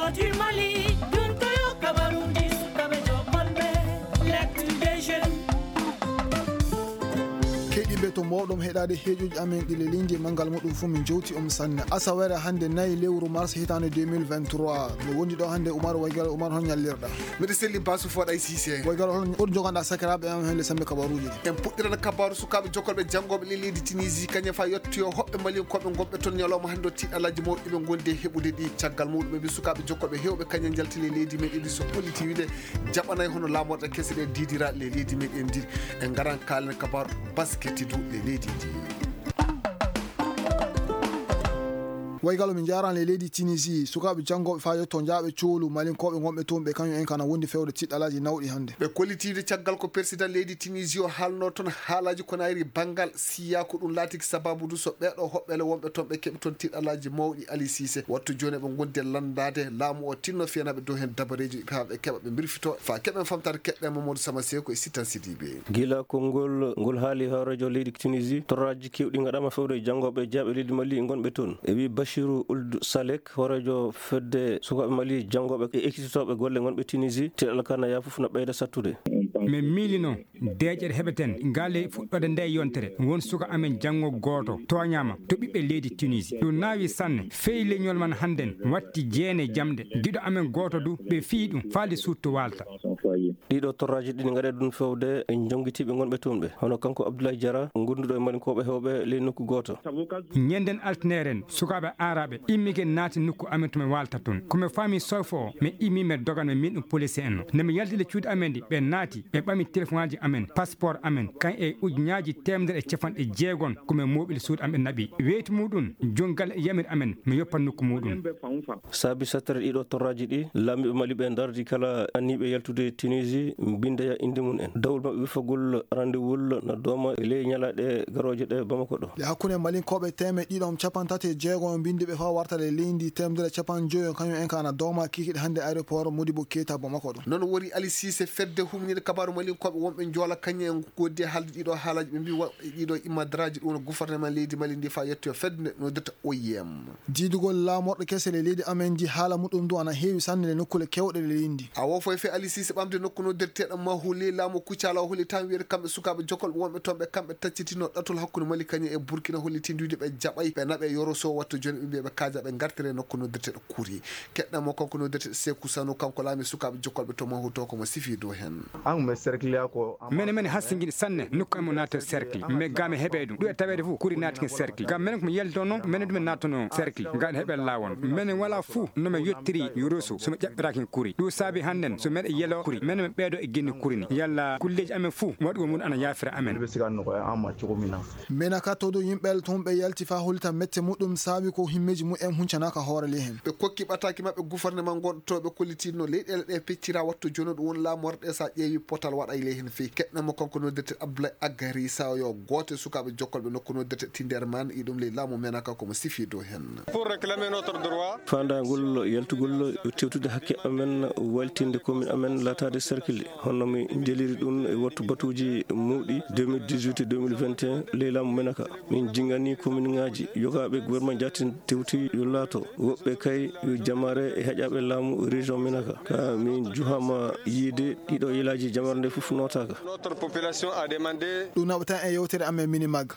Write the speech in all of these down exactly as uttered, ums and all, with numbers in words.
Mali, ɗum ko yo kabaruuji sukaaɓe jokolɓe, l'actu des jeunes. Keɗiiɓe, to mboɗon heɗaade heeƴuji amen ɗi lelindi e manngal muɗum fof, min jowti on sanne. Asawere hannde nayi lewru mars hitaande deux mille vingt-trois. Mi wondi ɗo hannde Umar Waygal. Umar, hol ñallirɗa? Miɗo selli Basu Foɗa e Sise. Waygal, hol, hol joganɗa sakiraaɓe am heen le sambe kabaruuji ɗi? En puɗɗiran kabaaru sukaaɓe jokolɓe janngooɓe le leydi Tunisie, kañum fa yettoyo hoɓɓe Malinkooɓe ngonɓe toon ñalawma hannde o, tiiɗalaaji mawɗi ɓe ngondi e heɓude ɗi. Caggal muɗum ɓe mbi sukaaɓe jokolɓe heewɓe kañum njalti le leydi meɗen ndi, so holliti wiide jaɓanay hono laamorɗe kese ɗe diidira le leydi meɗen ndi. En ngaran kaalen kabaaru basket du le leydi ndi. Waygal, min njaran le leydi Tunisie, sukaaɓe janngooɓe faa yetto njaaɓe coolu Malinkooɓe ngonɓe toon ɓe, kañum en kana wondi fewde tiiɗalaaji nawɗi hannde. Ɓe kollitiide caggal ko persidan leydi Tunisie o haalno toon haalaaji ko nayri banngal siya, ko ɗum laatiki sababu du so ɓeeɗo hoɓɓeele wonɓe toon ɓe keɓi toon tiiɗalaaji mawɗi. Ali Sise, wattu jooni eɓe ngondi e lanndaade laamu o tinno fiyanaɓe dow heen dabareeji haa ɓe keɓa ɓe mbirfito. Faa keɓen famtaade keɗɗen Mamadou Sama Seko e Sitan Sidibe. Gila konngol ngol haali hooreejo leydi Tunisie, torraaji keewɗi ngaɗaama fewde e janngooɓe e jeyaaɓe leydi Mali ngonɓe toon. E wii Bachirou Ould Salek, hooreejo fedde sukaaɓe Mali janngooɓe e ekkitotooɓe golle ngonɓe Tunisie, tiiɗal kana yaa fof no ɓeyda sattude. Min miilino deeƴere heɓeten ngale fuɗɗoode nde yontere. Won suka amen janngo gooto tooñaama to ɓiɓɓe leydi Tunisie. Ɗum naawi sanne. Fey leñol man hannden watti jeene jamɗe. Giɗo amen gooto du ɓe fii ɗum faali suutto waalta. Ɗiɗo torraaji ɗi ngaɗe ɗum fewde e jonngitiiɓe ngonɓe toon ɓe, hono kanko Abdoulaye Diarra, gonduɗo e Malinkooɓe heewɓe ley nokku gooto. Ñennden altineren, sukaaɓe aaraaɓe immike naati nokku amen to mi waalta toon. Ko mi faami sofo o, mi immi mi dogan mi min ɗum police en no. Nde mi yalti le cuuɗi amen ɗi, ɓe naati, ɓe ɓami telefoŋaaji amen, passeport amen, kan e ujunnaaji teemedere e capanɗe jeegon ko mi mooɓi le suudu am ɓe naɓi. Weyti muɗum, junngal e yamir amen, mi yoppa nokku muɗum. Saabi sattere ɗiɗo torraaji ɗi, laamiiɓe Mali ɓe ndardi kala anniiɓe yaltude Tunisie, mbinndeya innde mum en. Dawol maɓɓe wifagol rendez-vous no dooma e ley ñalaaɗe garooje ɗe Bamako ɗo. E hakkunde Malinkooɓe teemeɗɗe ɗiɗo capanɗe tati e jeego mbinndi ɓe faa wartade leydi teemedere capanɗe jowi, kañum en ka ana dooma kikiiɗe hannde aéroport Modibo Keita Bamako ɗo. Noon woni Ali Sise, fedde humninde kabaaru Malinkooɓe wonɓe Njoola kañum en ngoodi e haalde ɗiɗo haalaaji ɓe mbi wa-, ɗiɗo immadaraaji ɗum woni gouvernement leydi Mali ndi faa yettoyo fedde nde noddirta O I M. Diidugol laamorɗe kese le leydi amen ndi haala muɗum du ana heewi sanne le nokkuule keewɗe le leydi ndi. A wo foy fe Ali Sise ɓamde nokku noddirteeɗo Mahuli laamu Kucala o holli tan wiyde kamɓe sukaaɓe jokolɓe wonɓe toon ɓe kamɓe taccitino ɗatul hakkunde Mali kañum e Burkina hollitindude ɓe jaɓay ɓe naɓe yoroso wattu jooni ɓe mbiya ɓe kaaja ɓe ngartire nokku noddirteeɗo Kuri. Keɗɗamo kanko noddirteeɗo Seku Sanu kanko laami sukaaɓe jokolɓe to Mahuto ko mo sifi dow heen. An mi cercle ko mene mene hasingini sanne nokku amen naata cercle. Mais ga mi heɓe ɗum. Ɗum e taweede fof kuri naati cercle. Ga menen ko mi yalto noon, menen ɗum en naatono cercle. Ga en heɓe laawol. Menen wala fof no mi yettiri yoroso so mi ƴaɓɓiraaki kuri. Ɗum saabi hannden so meɗen yelo kuri. Menen mi ɓeedo e ginni kuri ni. Yalla kulleeji amen fof waɗugol mum ana yaafira amen. Ɓe siganno ko e amma cukumina. Mena ka todo yimɓe toon ɓe yalti faa hollita mette muɗum saabi ko himmeeji mumen huncanaaka hoore ley heen. Ɓe kokki ɓataaki maɓɓe gouvernement ngonɗo to ɓe kollitino leyɗeele ɗe peccira wattu jooni ɗum woni laamorɗe sa ƴeewi potal waɗa e ley heen fii. Keɗɗamo kanko noddirte Abdoulaye Agari Saw yo gooto e sukaaɓe jokkolɓe nokku noddirte Tinderman e ɗum ley laamu Menaka ko mo sifi dow heen. Pour réclamer notre droit. Faandaangol yaltugol tewtude hakke amen, waytinde commune amen laataade cercle, hono min njeliri ɗum e wattu batuuji mawɗi deux mille dix-huit e deux mille vingt et un ley laamu Menaka. Min jingani commune ŋaaji yogaaɓe gouvernement jaatin tewti yo laato, woɓɓe kay yo jamaare e heƴaaɓe laamu région Menaka. Ka min juhama yiide ɗiɗo yelaaji jamaare nde fof nootaaka. Notre population a demandé. Ɗum naɓata e yewtere amen Minimag.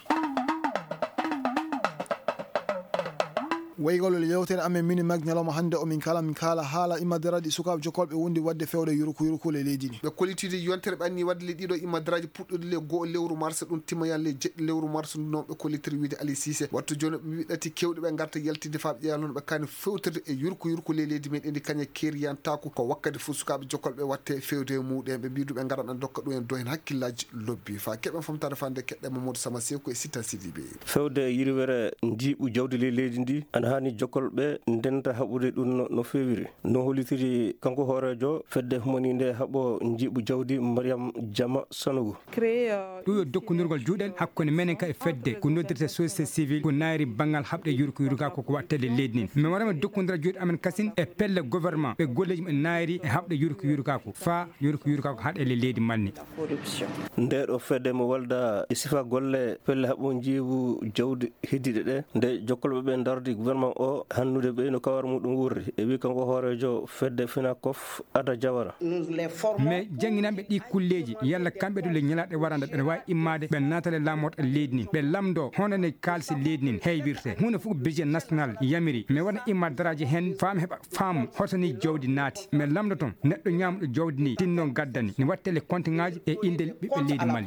Waygol yewtere amen Minimag ñalawma hannde o min kala, min kala haala immadaraaji sukaaɓe jokkolɓe wondi waɗde fewde yurku yurku le leydi ndi. Ɓe kollitide yontere ɓe anni waɗde le ɗiɗo immadaraaji puɗɗude le go'o lewru mars, ɗum timmoya le jeɗɗi lewru mars ndu noon ɓe kollitiri wiide Ali Cissé. Wattu jooni ɓe mbiɗati kewɗe ɓe ngarta yaltinde faa ɓe ƴeewa noon ɓe kaani fewtirde e yurku yurku le leydi meɗen ndi kañe keeriyantaako ko wakkati fof sukaaɓe jokkolɓe watte fewde e muɗum. Ɓe mbiɗu ɓe ngaran an dokka ɗum en do heen hakkillaaji lobbi. Faa keɓen famtaade faa nde keɗɗen Mamadou Sama Seeku e Sita Sidibe. Fewde e yirwere njiiɓu jawdi ley leydi ndi, ana haani jokkolɓe ndenta haɓude ɗum no, no feewiri. No hollitiri kanko hooreejo fedde humaniinde haɓo njiiɓu jawdi Mariam Jama Sanogo. Créer, euh, ɗum yo dokkondirgol juuɗe hakkunde menen ka e fedde ko noddirte société civile ko naayri banngal haɓde yurko yurgako ko waɗtede leydi ndi. Min waɗama dokkondira juuɗe amen kasin e pelle gouvernement ɓe golleeji ɓe naayri e haɓde yurko yurgako faa yurko yurgako haɗe le leydi Mali ndi. Corruption. Nde ɗo fedde mo walda e sifa golle pelle haɓo njiiɓu jawdi heddiɗe ɗe, nde jokkolɓe ɓe ndardi gouvernement O hannude ɓe no kawar muɗum wurri. E wi kanko hooreejo fedde Finakof Ada Jawara. Mais jannginanɓe ɗi kulleeji, yalla kamɓe du le ñalaaɗe warande ɓe no waawi immaade, ɓe naatale laamorɗe leydi ndin, ɓe lamndoo hono ne kaalisi leydi ndin heywirte. Huunde fof ko budget national yamiri, mais wona imma daraaji heen, faa mi heɓa faamu hoto ni jawdi naati. Mais lamndoton neɗɗo ñaamɗo jawdi ndi, tinno gaddani, ne wattele kontiŋaaji e innde ɓiɓɓe leydi Mali.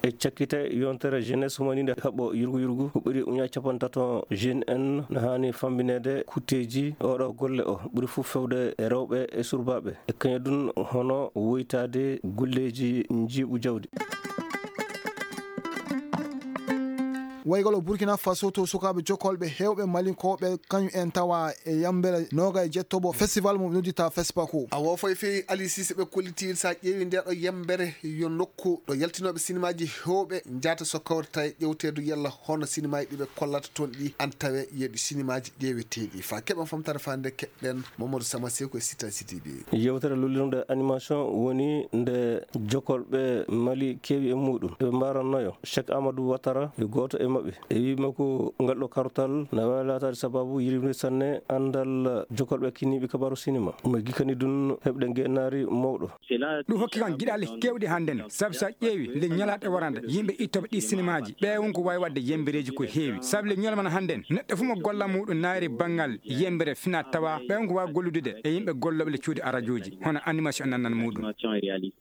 E cakkite yontere jeunesse humaniinde haɓɓo yurgu yurgu ko ɓuri uña capantato jeune en no haani fambineede kutteeji oɗo golle o ɓuri fof fewde e rewɓe e surbaaɓe e kaña ɗum hono woytaade golleeji njiiɓu jawdi. Waygol o Burkina Faso to sukaaɓe jokkolɓe heewɓe malinkooɓe kañum en tawa e yambere noga e jettobo festival mo nodditaa Fespaco. A wofo e fewi Ali Sise ɓe kolliti sa ƴeewi nde ɗo yambere yo nokku ɗo yaltinooɓe sinimaaji heewɓe njaata so kawrita e ƴewteedu yalla hono sinimaaji ɗi ɓe kollata toon ɗi an tawe yeɗi sinimaaji ƴeeweteeɗi fa keɓan famtare fa nde keɓɗen Mamadou Sama Seko e Sita Sidibé. Yewtere lullirnde animation woni nde jokolɓe Mali keewi e muɗum. Eɓe mbarannoyo Cheikh Amadou Ouattara e gooto e maɓɓe. E wima ko ngal ɗo kartal na waawi laataade sababu yirimde sanne anndal jokolɓe kinniiɓe kabaaru sinima. Omo gikkani ɗum heɓde ngeenaari mawɗo. Ɗum hokki kam giɗaale keewɗe hannden, sabu so a ƴeewi le ñalaaɗe warande, yimɓe ittoɓe ɗi sinimaaji, ɓe won ko waawi waɗde yembereeji ko heewi. Sabu le ñalmana hannden, neɗɗo fof mo golla muɗum naari banngal yembere fina tawa, ɓe won ko waawi gollude e yimɓe gollooɓe le cuuɗi arajooji, hono animation nannan muɗum.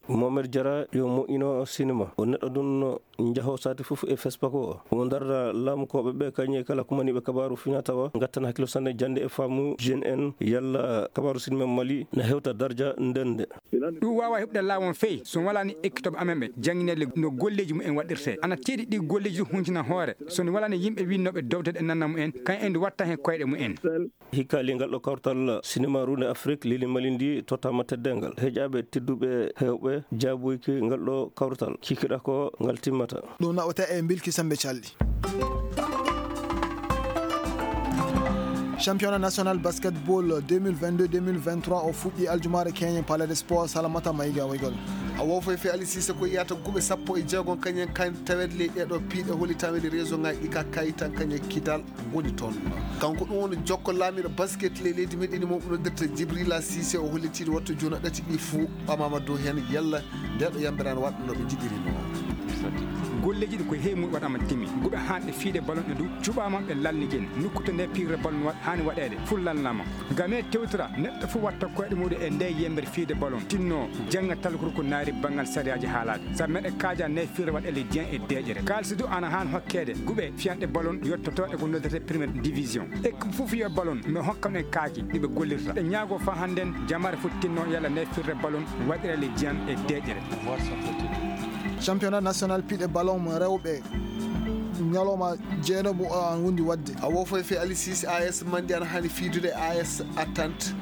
Mohamed Diarra yo moƴƴino sinima. O neɗɗo ɗum njaho sati fof e Fespaco o. Omo darda laamukooɓe ɓe kañe kala kumaniiɓe kabaaru fina tawa, ngattan hakkilo sanne jannde e faamu jeune en, yalla kabaaru sinima Mali na hewta darja ndende. Ɗum waawa heɓde laawon fey, so walaani ekkitooɓe amen ɓe, jannginede no golleeji mumen waɗirte. Ana teeɗi ɗi golleeji ɗum huntina hoore, so no walaani yimɓe winnooɓe dowde e nanna mumen, kañ en ndu watta heen koyɗe mumen. Hikka lingal ɗo kawtal sinima runde Afrik lili Mali ndi tottama teddengal. Heƴaaɓe tedduɓe heewɓe jaaboyki ngal ɗo kawtal. Kikiɗa ko ngal timmata. Ɗum nawata e Bilki Sambe Calli. Championnat national basketball deux mille vingt-deux deux mille vingt-trois o fuɗɗi aljumaare keñen Palais des Sports Salamata Maïga Waygol. A wofo e fe Ali Sise ko yiyata guɓe sappo e jeegom kañen kan tawede ley ɗeɗo piiɗe holitaɓe le réseau ngaji ɗi ka kayitan kañen kidal woni toon. Kanko ɗum woni jokko laamiɗo basket ley leydi meɗen mo noddirta Jibrila Sise o hollitiiɗo wattu juna ɗati ɗi fuu ɓamama dow heen yalla nde ɗo yambiran waɗa no ɓe njiɗiri no. Golleeji ɗi ko heewi mum waɗama timi. Guɓe hanɗe fiide ballon e dow cuɓama ɓe lalnigen. Nokku to nde pirre ballon waɗ-, haani waɗeede. Ful lalnama. Game tewtira neɗɗo fof watta koyɗe muɗum e nde yembere fiide ballon. Tinno jannga talkuru ko naari banngal sariyaaji haalaade. Sabu meɗe kaaja nde firre waɗa le diyan e deeƴere. Kaalisi du ana haan hokkeede guɓe fiyanɗe ballon yottoto e ko noddete première division. E ko fof yo ballon mi hokkam en kaaki ɗi ɓe gollirta. Ɓe ñaago fa hannden jamaare fof tinno yalla nde firre ballon waɗira le diyan e deeƴere. Championnat national piɗe ballon mo rewɓe ñalawma jeenaɓo o an wondi waɗde. A wofo e fe Ali Sise A S Mandi ana haani fiidude A S Attente.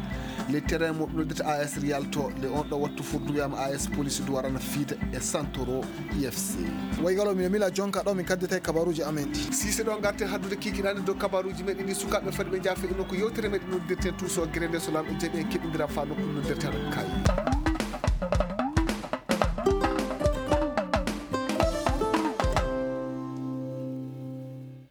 Le terrain mo noddata A S Real to le on ɗo wattu furduyaama A S Police du warana fiida e Santoro I F C. Waygalo mi mila jonka ɗo min kaddete kabaruji amen ɗi. Sise ɗo ngarten haddude kikiɗani dow kabaruji meɗen ɗi sukaaɓe fadi ɓe jaafe ino ko yewtere meɗen noddirten tuuso gere nde so lamɗo jaɓi en keɓindira fa nokku noddirten kay.